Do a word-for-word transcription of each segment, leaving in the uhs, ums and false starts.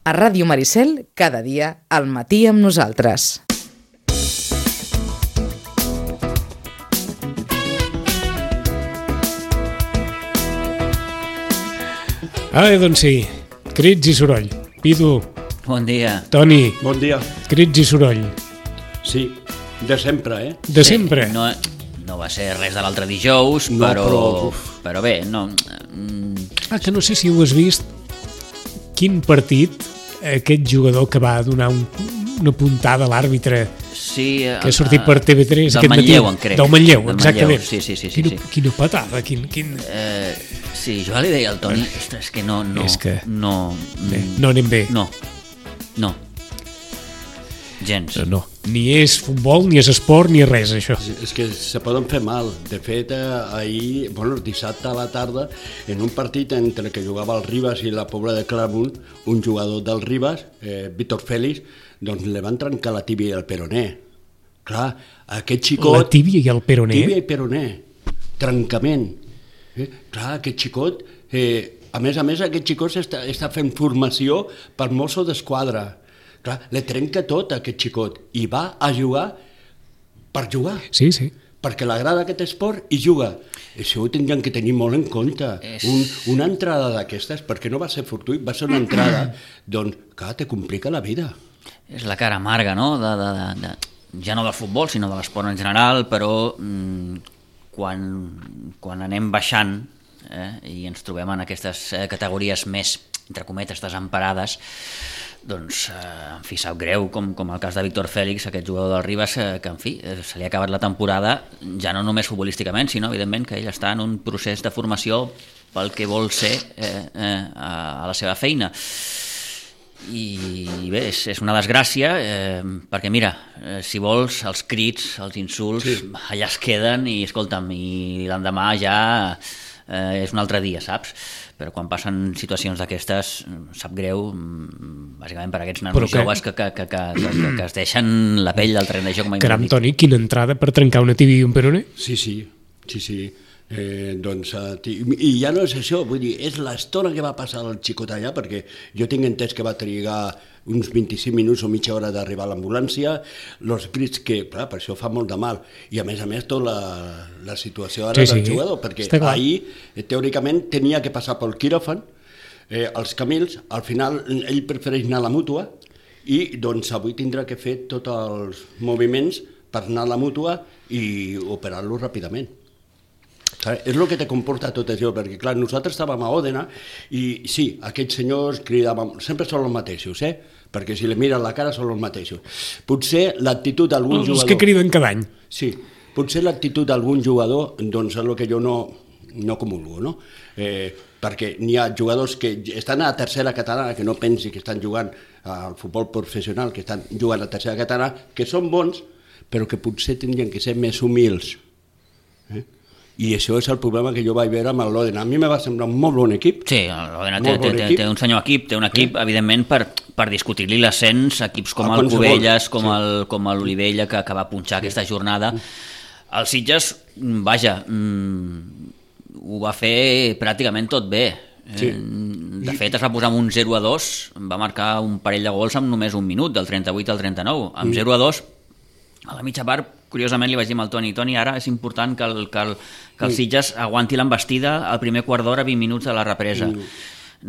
A Ràdio Maricel, cada dia, al matí amb nosaltres. Ah, doncs sí, crits i soroll. Pidu. Bon dia. Toni. Bon dia. Crits i soroll. Sí, de sempre, eh? De sí, sempre. No, no va ser res de l'altre dijous, no, però, però... però bé, no... Ah, que no sé si ho has vist, quin partit aquest jugador que va donar un, una puntada a l'àrbitre, sí, que ha sortit per T V tres del aquest Manlleu, matí. en crec. Del Manlleu, del exactament. Manlleu. Sí, sí, sí, sí, quina, sí. quina patada, quin... quin... Eh, sí, jo li deia al Toni, ostres, que no... no és que... No, Bé, no anem bé. No, no. Gens. No, ni és futbol, ni és esport, ni és res, això. És que se poden fer mal. De fet, ahir, bueno, dissabte a la tarda, en un partit entre que jugava el Ribas i la Pobla de Claramunt, un jugador del Ribas, eh, Víctor Félix, doncs li van trencar la tíbia i el peroné. Clar, aquest xicot... La tíbia i el peroné? Tíbia i peroné. Trencament. Eh? Clar, aquest xicot... Eh, a més a més, aquest xicot està, està fent formació per Mosso d'Esquadra. Clar, le trenca tot aquest xicot i va a jugar per jugar. Sí, sí. Perquè l'agrada aquest esport i juga. Això ho tindrien que tenir molt en compte. És... Un, una entrada d'aquestes, perquè no va ser fortuït, va ser una entrada, doncs, clar, te complica la vida. És la cara amarga, no? De, de, de, de, ja no del futbol, sinó de l'esport en general, però mm, quan, quan anem baixant eh, i ens trobem en aquestes eh, categories més, entre cometes, desemparades, doncs, eh, en fi, sap greu, com, com el cas de Víctor Félix, aquest jugador del Ribas, eh, que, en fi, eh, se li ha acabat la temporada, ja no només futbolísticament, sinó, evidentment, que ell està en un procés de formació pel que vol ser eh, eh, a, a la seva feina. I, i bé, és, és una desgràcia, eh, perquè, mira, eh, si vols, els crits, els insults, sí, allà es queden i, escolta'm, i l'endemà ja eh, és un altre dia, saps? Però quan passen situacions d'aquestes, sap greu, bàsicament per aquests nanos que... joves que, que, que, que, que, que es deixen la pell del terreny de joc. Caram, Toni, quina entrada per trencar una tíbia i un peroné? Sí, sí, sí, sí. Eh, doncs, i ja no és això, vull dir, és l'estona que va passar el xicot allà, perquè jo tinc entès que va trigar uns vint-i-cinc minuts o mitja hora d'arribar a l'ambulància, els crits que, clar, per això fa molt de mal, i a més a més tota la, la situació ara sí, del sí, jugador, perquè ahir, teòricament, tenia que passar pel quiròfan, eh, els Camils, al final ell prefereix anar a la mútua, i doncs avui tindrà que fer tots els moviments per anar a la mútua i operar-lo ràpidament. És el que te comporta tot això, perquè clar, nosaltres estàvem a Òdena i sí, aquests senyors cridaven, sempre són els mateixos, eh? Perquè si li miren la cara són els mateixos. Potser l'actitud d'algun els jugador... Els que criden cada any. Sí, potser l'actitud d'algun jugador, doncs és el que jo no, no comulgo, no? Eh, perquè n'hi ha jugadors que estan a la tercera catalana, que no pensi que estan jugant al futbol professional, que estan jugant a la tercera catalana, que són bons, però que potser tindrien que ser més humils. Eh? I això és el problema que jo vaig veure amb l'Òdena. A mi me va semblar un molt bon equip. Sí, l'Òdena té, bon té, té un senyor equip, té un equip, eh? evidentment, per, per discutir-li l'ascens, equips com el, el Cubelles, com sí. el, com l'Olivella, que, que va punxar sí. aquesta jornada. El Sitges, vaja, mmm, ho va fer pràcticament tot bé. Sí. De fet, es va posar amb un zero a dos, va marcar un parell de gols amb només un minut, del trenta-vuit al trenta-nou. Amb mm. zero a dos, a la mitja part, curiosament li vaig dir al Toni, Toni, ara és important que el, que el, que el Sitges aguanti l'embestida al primer quart d'hora, vint minuts de la represa.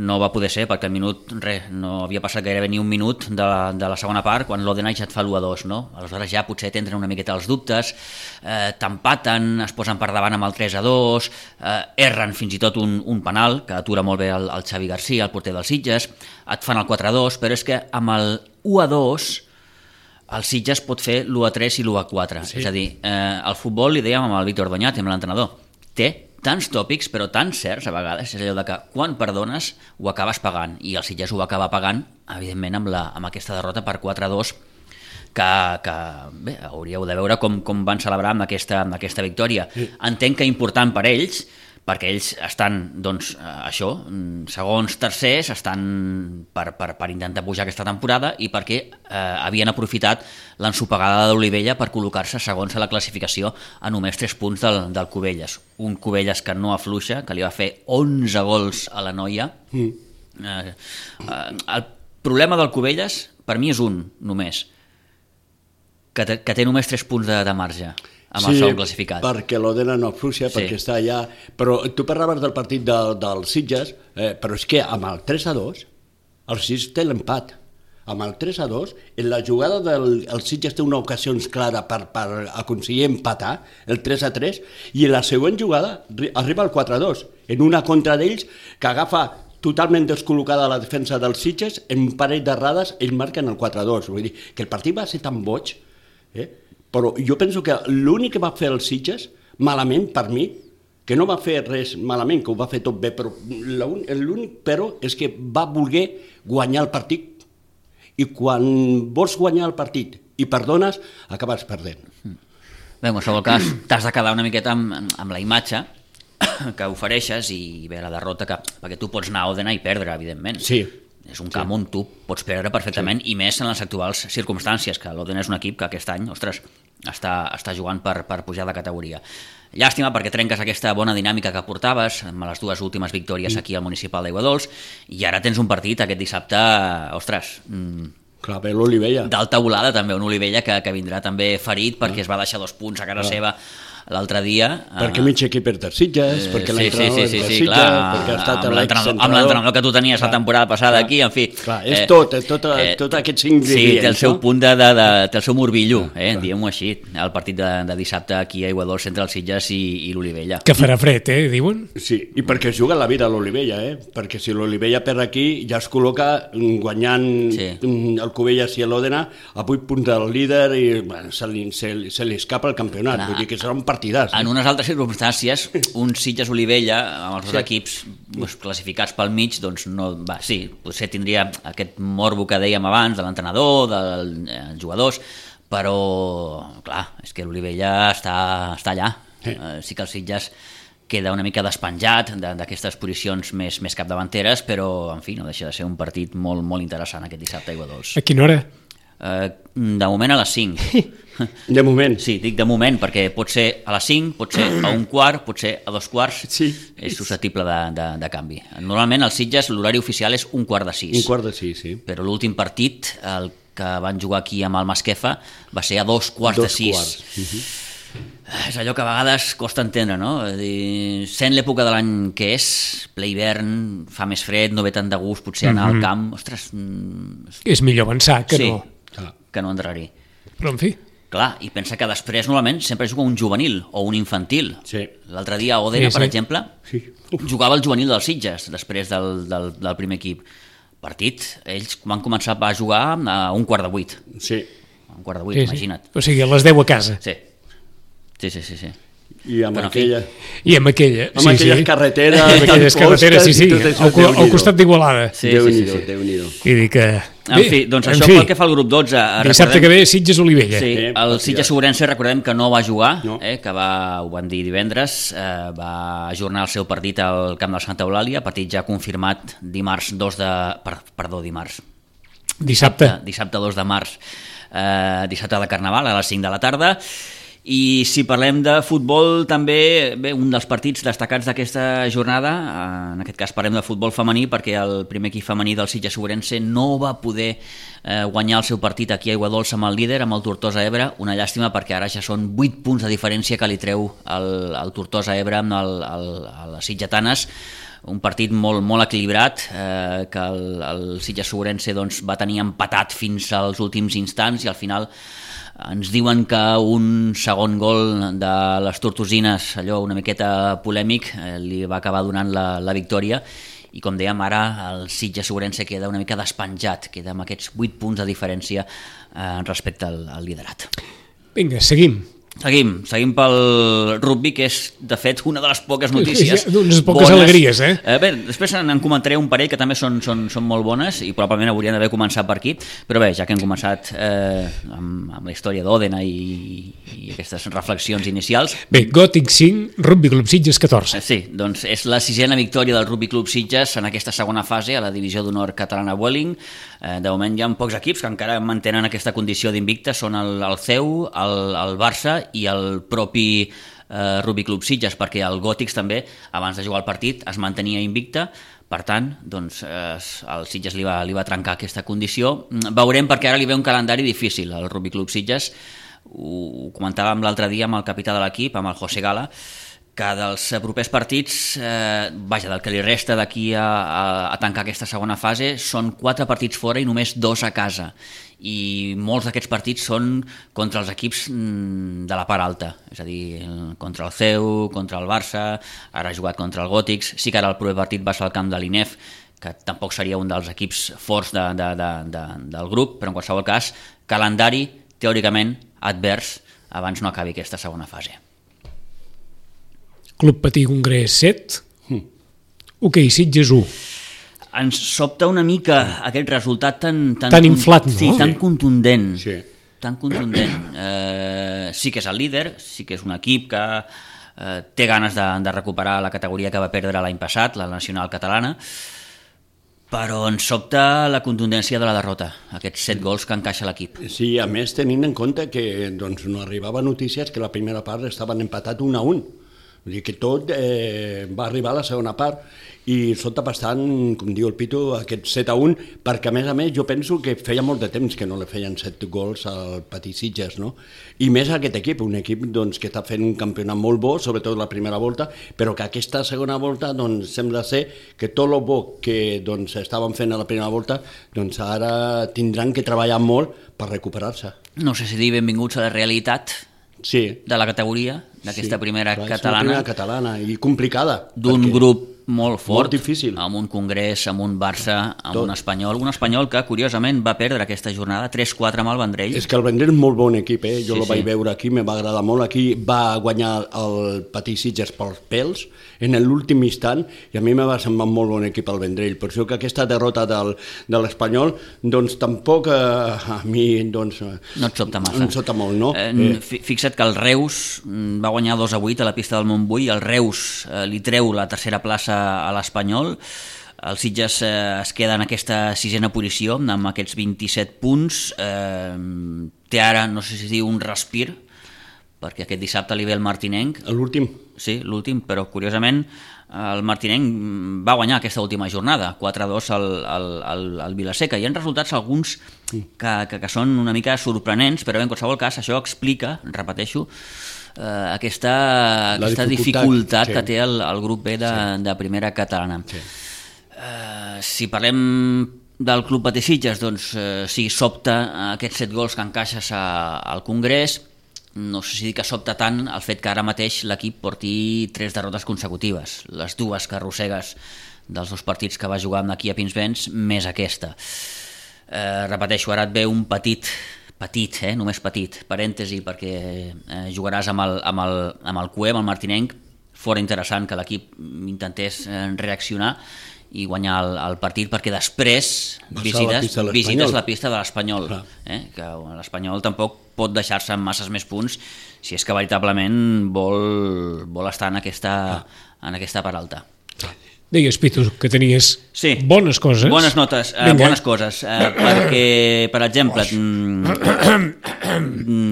No va poder ser, perquè el minut, res, no havia passat gairebé ni un minut de, de la segona part, quan l'Òdena ja et fa l'u a dos, no? Aleshores ja potser t'entren una miqueta els dubtes, eh, t'empaten, es posen per davant amb el tres a dos, eh, erren fins i tot un, un penal, que atura molt bé el, el Xavi García, el porter del Sitges, et fan el quatre a dos, però és que amb el u a dos el Sitges pot fer l'u a tres i l'u a quatre. Sí. És a dir, eh, el futbol, li dèiem amb el Víctor Doñat, amb l'entrenador, té tants tòpics, però tan certs a vegades, és allò de que quan perdones ho acabes pagant, i el Sitges ho va acabar pagant, evidentment, amb, la, amb aquesta derrota per quatre a dos, que, que bé, hauríeu de veure com, com van celebrar amb aquesta, amb aquesta victòria. Sí. Entenc que important per ells, perquè ells estan, doncs, això, segons, tercers, estan per, per, per intentar pujar aquesta temporada i perquè eh, havien aprofitat l'ensopegada d'Olivella per col·locar-se segons a la classificació a només tres punts del, del Cubelles. Un Cubelles que no afluixa, que li va fer onze gols a la noia. Mm. Eh, eh, el problema del Cubelles, per mi és un, només, que té, que té només tres punts de, de marge amb el segon classificat. Sí, perquè l'Òdena no afluixa, sí. perquè està allà... Però tu parlaves del partit de, del Sitges, eh, però és que amb el tres a dos, el Sitges té l'empat. Amb el tres a dos, en la jugada del el Sitges té una ocasió clara per, per aconseguir empatar, el tres a tres, i en la següent jugada arriba el quatre a dos, en una contra d'ells que agafa totalment descol·locada la defensa dels Sitges, en un parell d'errades ells marquen el quatre a dos. Vull dir que el partit va ser tan boig, eh? Però jo penso que l'únic que va fer el Sitges, malament per mi, que no va fer res malament, que ho va fer tot bé, però l'únic però és que va voler guanyar el partit, i quan vols guanyar el partit i perdones, acabes perdent. Bé, en qualsevol cas, t'has de quedar una miqueta amb, amb la imatge que ofereixes i bé, la derrota, que, perquè tu pots anar a Òdena i perdre, evidentment. Sí. És un camp sí. on tu pots perdre perfectament, sí. i més en les actuals circumstàncies, que l'Òdena és un equip que aquest any, ostres, està, està jugant per, per pujar de categoria. Llàstima perquè trenques aquesta bona dinàmica que portaves amb les dues últimes victòries aquí al municipal d'Aiguadols, i ara tens un partit aquest dissabte, ostres... Mmm, clar, bé, l'Olivella. D'alta volada també, un Olivella que, que vindrà també ferit perquè ah. es va deixar dos punts a casa ah. seva l'altre dia. Perquè uh, mig equip és de Sitges, eh, perquè l'entrenador sí, sí, sí, és de sí, Sitges, clar, perquè ha estat amb l'entrenador que tu tenies clar, la temporada passada clar, aquí, en fi. Clar, és eh, tot, és tot, eh, tot aquests ingredients. Sí, té el seu punt de, de, de té el seu morbillo, eh, diguem-ho així, el partit de, de dissabte aquí a Aiguadols entre el Sitges i, i l'Olivella. Que farà fred, eh, diuen? Sí, i perquè es juga la vida a l'Olivella, eh, perquè si l'Olivella perd aquí ja es col·loca guanyant sí. el Cubelles i l'Òdena a vuit punts del líder i bueno, se, li, se, se li escapa el campionat, clar, vull dir que serà un partidàs. En unes altres circumstàncies, un Sitges-Olivella amb els dos sí. equips doncs, classificats pel mig, doncs no, va, sí, potser tindria aquest morbo que dèiem abans de l'entrenador, dels eh, jugadors, però clar, és que l'Olivella està, està allà. Sí. Eh, sí que el Sitges queda una mica despenjat d'aquestes posicions més, més capdavanteres, però en fi, no deixa de ser un partit molt, molt interessant aquest dissabte a Aiguadols. A quina hora? Eh, de moment a les cinc. De moment? Sí, dic de moment, perquè pot ser a les cinc, pot ser a un quart, pot ser a dos quarts, sí. és susceptible de, de, de canvi. Normalment als Sitges l'horari oficial és un quart de sis. Un quart de sis, sí. Però l'últim partit, el que van jugar aquí amb el Masquefa, va ser a dos quarts dos de sis. Quarts. Uh-huh. És allò que a vegades costa entendre, no? És dir, sent l'època de l'any que és, ple hivern, fa més fred, no ve tant de gust, potser anar mm-hmm. al camp, ostres... Mm... És millor avançar que sí, no... que no endarrerir. Però en fi... Clar, i pensa que després normalment sempre juga un juvenil o un infantil. Sí. L'altre dia a Òdena, sí, sí. per exemple, sí. jugava el juvenil dels Sitges després del, del, del primer equip. Partit, ells van començar a jugar a un quart de vuit. Sí. A un quart de vuit, sí, imagina't. Sí. O sigui, a les deu a casa. Sí, sí, sí, sí. sí. I amb Però, aquella... I amb aquella... Amb sí, aquelles sí. carreteres... amb aquelles carreteres, sí, sí, al, al costat d'Igualada. Sí, Déu-n'hi-do, sí, sí. Déu-n'hi-do. I dic que... En fi, doncs això pel que fa al grup dotze... Dissabte que ve Sitges-Olivella. Sí, eh, el Sitges-Ourense recordem que no va jugar, no. eh, que va, ho van dir divendres, eh, va ajornar el seu partit al camp del Santa Eulàlia, partit ja confirmat dimarts dos de... Per, perdó, dimarts. Dissabte. Dissabte, dissabte dos de març, eh, dissabte de Carnaval, a les cinc de la tarda. I si parlem de futbol, també bé, un dels partits destacats d'aquesta jornada, en aquest cas parlem de futbol femení, perquè el primer equip femení del Sitges-Ourense no va poder eh, guanyar el seu partit aquí a Aiguadols amb el líder, amb el Tortosa Ebre, una llàstima perquè ara ja són vuit punts de diferència que li treu el, el Tortosa Ebre amb el, el, el, les sitgetanes, un partit molt, molt equilibrat, eh, que el, el Sitges-Ourense doncs, va tenir empatat fins als últims instants i al final ens diuen que un segon gol de les tortosines, allò una miqueta polèmic, eh, li va acabar donant la, la victòria i com dèiem ara el Sitges-Ourense queda una mica despenjat, queda amb aquests vuit punts de diferència eh, respecte al, al liderat. Vinga, seguim. Seguim, seguim pel rugby, que és, de fet, una de les poques notícies sí, unes poques bones. Alegries, eh? eh? Bé, després en comentaré un parell que també són, són, són molt bones i probablement haurien d'haver començat per aquí, però bé, ja que hem començat eh, amb, amb la història d'Òdena i, i aquestes reflexions inicials... Bé, Gòtic cinc, Rugby Club Sitges catorze. Sí, doncs és la sisena victòria del Rugby Club Sitges en aquesta segona fase a la divisió d'honor catalana Welling. Eh, de moment hi ha pocs equips que encara mantenen aquesta condició d'invicta, són el, el C E U, el, el Barça i el propi eh, Rugby Club Sitges, perquè el Gòtics també, abans de jugar el partit, es mantenia invicta, per tant, doncs, eh, el Sitges li va, li va trencar aquesta condició. Veurem, perquè ara li ve un calendari difícil al Rugby Club Sitges. Ho comentàvem l'altre dia amb el capità de l'equip, amb el José Gala, que dels propers partits, eh, vaja, del que li resta d'aquí a, a, a tancar aquesta segona fase, són quatre partits fora i només dos a casa. I molts d'aquests partits són contra els equips de la part alta, és a dir, contra el C E U, contra el Barça, ara ha jugat contra el Gòtics, sí que ara el proper partit va ser al camp de l'I N E F, que tampoc seria un dels equips forts de, de, de, de, del grup, però en qualsevol cas, calendari teòricament advers abans no acabi aquesta segona fase. Club Patí Congrés set, mm. Ok, Sitges u. Ens sobta una mica aquest resultat tan... Tan, tan inflat, no? Sí, tan sí. contundent. Sí. Tan contundent. Eh, sí que és el líder, sí que és un equip que eh, té ganes de, de recuperar la categoria que va perdre l'any passat, la nacional catalana, però ens sobta la contundència de la derrota, aquests set gols que encaixa l'equip. Sí, a més tenint en compte que doncs, no arribava notícies que la primera part estaven empatat un a un. Vull dir que tot eh, va arribar a la segona part i sota bastant, com diu el Pitu, aquest set a un, perquè a més a més jo penso que feia molt de temps que no li feien set gols al Patí Sitges, no? I més aquest equip, un equip doncs, que està fent un campionat molt bo, sobretot la primera volta, però que aquesta segona volta doncs, sembla ser que tot el bo que doncs, estaven fent a la primera volta doncs ara tindran que treballar molt per recuperar-se. No sé si dir benvinguts a la realitat sí. de la categoria, d'aquesta sí, primera clar, catalana. És una primera catalana i complicada. D'un grup molt fort, molt difícil. Amb un Congrés, amb un Barça, amb Tot. un Espanyol, un Espanyol que curiosament va perdre aquesta jornada tres quatre amb el Vendrell. És que el Vendrell és molt bon equip, eh? jo sí, el vaig sí. veure aquí, me va agradar molt, aquí va guanyar el Patí Sitges pels pèls en l'últim instant i a mi me va semblar molt bon equip el Vendrell, per això que aquesta derrota del, de l'Espanyol doncs tampoc eh, a mi doncs, no et sobta massa. No et sobta molt, no? Eh, eh. Fixa't que el Reus va guanyar dos a vuit a la pista del Montbui, el Reus eh, li treu la tercera plaça a l'Espanyol, el Sitges eh, es queda en aquesta sisena posició amb aquests vint-i-set punts, eh, té ara, no sé si diu un respir, perquè aquest dissabte li ve el Martinenc. L'últim? Sí, l'últim, però curiosament el Martinenc va guanyar aquesta última jornada, quatre a dos al, al, al, al Vilaseca. Hi ha resultats alguns que, que, que són una mica sorprenents, però en qualsevol cas això explica, repeteixo, eh, aquesta, aquesta dificultat, dificultat sí. que té el, el grup B de, sí. de primera catalana. Sí. Eh, si parlem del Club Patí Sitges, doncs eh, sí, sobta aquests set gols que encaixes a, al Congrés. No sé si dir que sobta tant el fet que ara mateix l'equip porti tres derrotes consecutives, les dues que arrossegues dels dos partits que va jugar amb aquí a Pinsbens, més aquesta. Eh, repeteixo, ara et ve un petit, petit, eh, només petit, parèntesi, perquè eh, jugaràs amb el, amb el, amb el C U E, amb el Martinenc, fora interessant que l'equip intentés eh, reaccionar i guanyar el, el partit, perquè després visites la, visites la pista de l'Espanyol, eh? Que l'Espanyol tampoc pot deixar-se amb masses més punts si és que veritablement vol, vol estar en aquesta, en aquesta part alta. Deies, Pitu, que tenies sí, bones coses. Bones notes, eh, bones coses, eh, perquè, per exemple,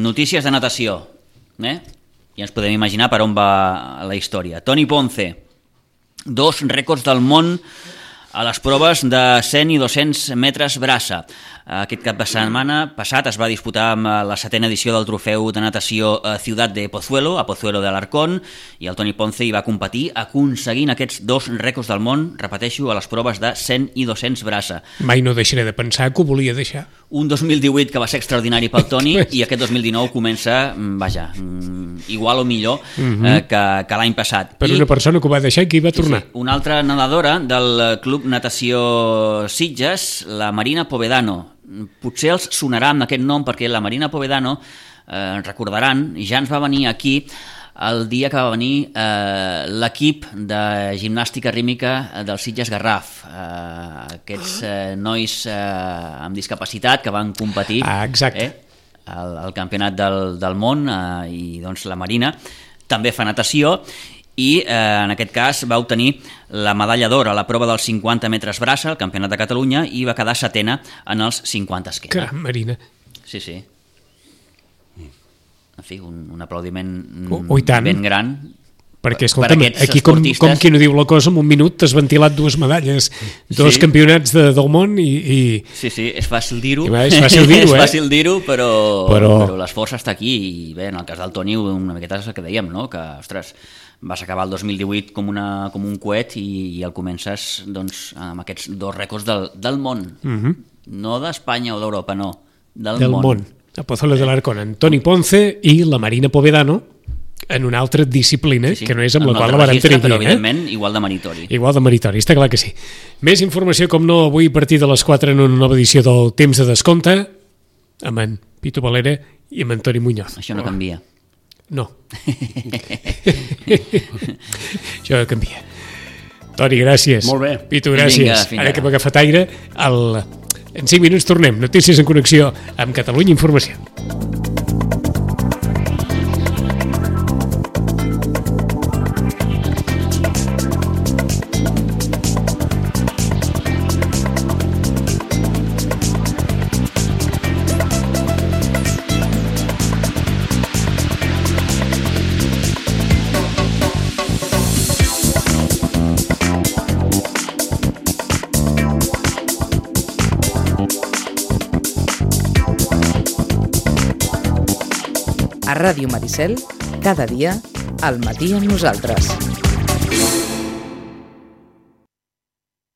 notícies de natació, eh? Ja ens podem imaginar per on va la història. Toni Ponce, dos rècords del món a les proves de cent i dos-cents metres braça. Aquest cap de setmana passat es va disputar amb la setena edició del trofeu de natació Ciutat de Pozuelo, a Pozuelo de Alarcón, i el Toni Ponce hi va competir aconseguint aquests dos rècords del món, repeteixo, a les proves de cent i dos-cents braça. Mai no deixaré de pensar que ho volia deixar. Un dos mil divuit que va ser extraordinari pel Toni i aquest dos mil dinou comença, vaja, igual o millor uh-huh. eh, que, que l'any passat. Per I, una persona que ho va deixar i que hi va tornar. Sí, una altra nedadora del Club Natació Sitges, la Marina Povedano. Potser els sonarà amb aquest nom perquè la Marina Povedano, eh, recordaran, ja ens va venir aquí el dia que va venir eh, l'equip de gimnàstica rítmica del Sitges Garraf, eh, aquests eh, nois eh, amb discapacitat que van competir ah, eh, al, al campionat del, del món, eh, i doncs la Marina també fa natació i eh, en aquest cas va obtenir la medalla d'or a la prova dels cinquanta metres braça al Campionat de Catalunya i va quedar setena en els cinquanta esquena. Caram, Marina. Sí, sí. En fi, un, un aplaudiment oh, oh, ben gran Perquè, escolta'm, per aquests aquí com, esportistes... com qui no diu la cosa, en un minut t'has ventilat dues medalles, dos Sí. campionats de, del món i... i... Sí, sí, és fàcil dir-ho. I va, és fàcil dir-ho, és eh? fàcil dir-ho, però, Però- però l'esforç està aquí. I bé, en el cas del Toni, una miqueta és el que dèiem, no? Que, ostres, vas acabar el dos mil divuit com, una, com un coet i, i el comences doncs, amb aquests dos rècords del, del món. Mhm. No d'Espanya o d'Europa, no. Del, del món. món. A Pozuelos de l'Arcón, Antoni Ponce i la Marina Povedano en una altra disciplina, sí, sí. que no és amb la En un qual altre la vàrem registre, tenir però aquí. evidentment igual de meritori. Igual de meritori, està clar que sí. Més informació, com no, avui a partir de les quatre en una nova edició del Temps de Descompte, amb en Pitu Valera i amb en Toni Muñoz. Això no canvia. No. Això no canvia. Toni, gràcies. Molt bé. Pitu, gràcies. Vinga, fins Ara ara. que hem agafat aire, el... en cinc minuts tornem. Notícies en connexió amb Catalunya Informació. A Ràdio Maricel, cada dia, al matí amb nosaltres.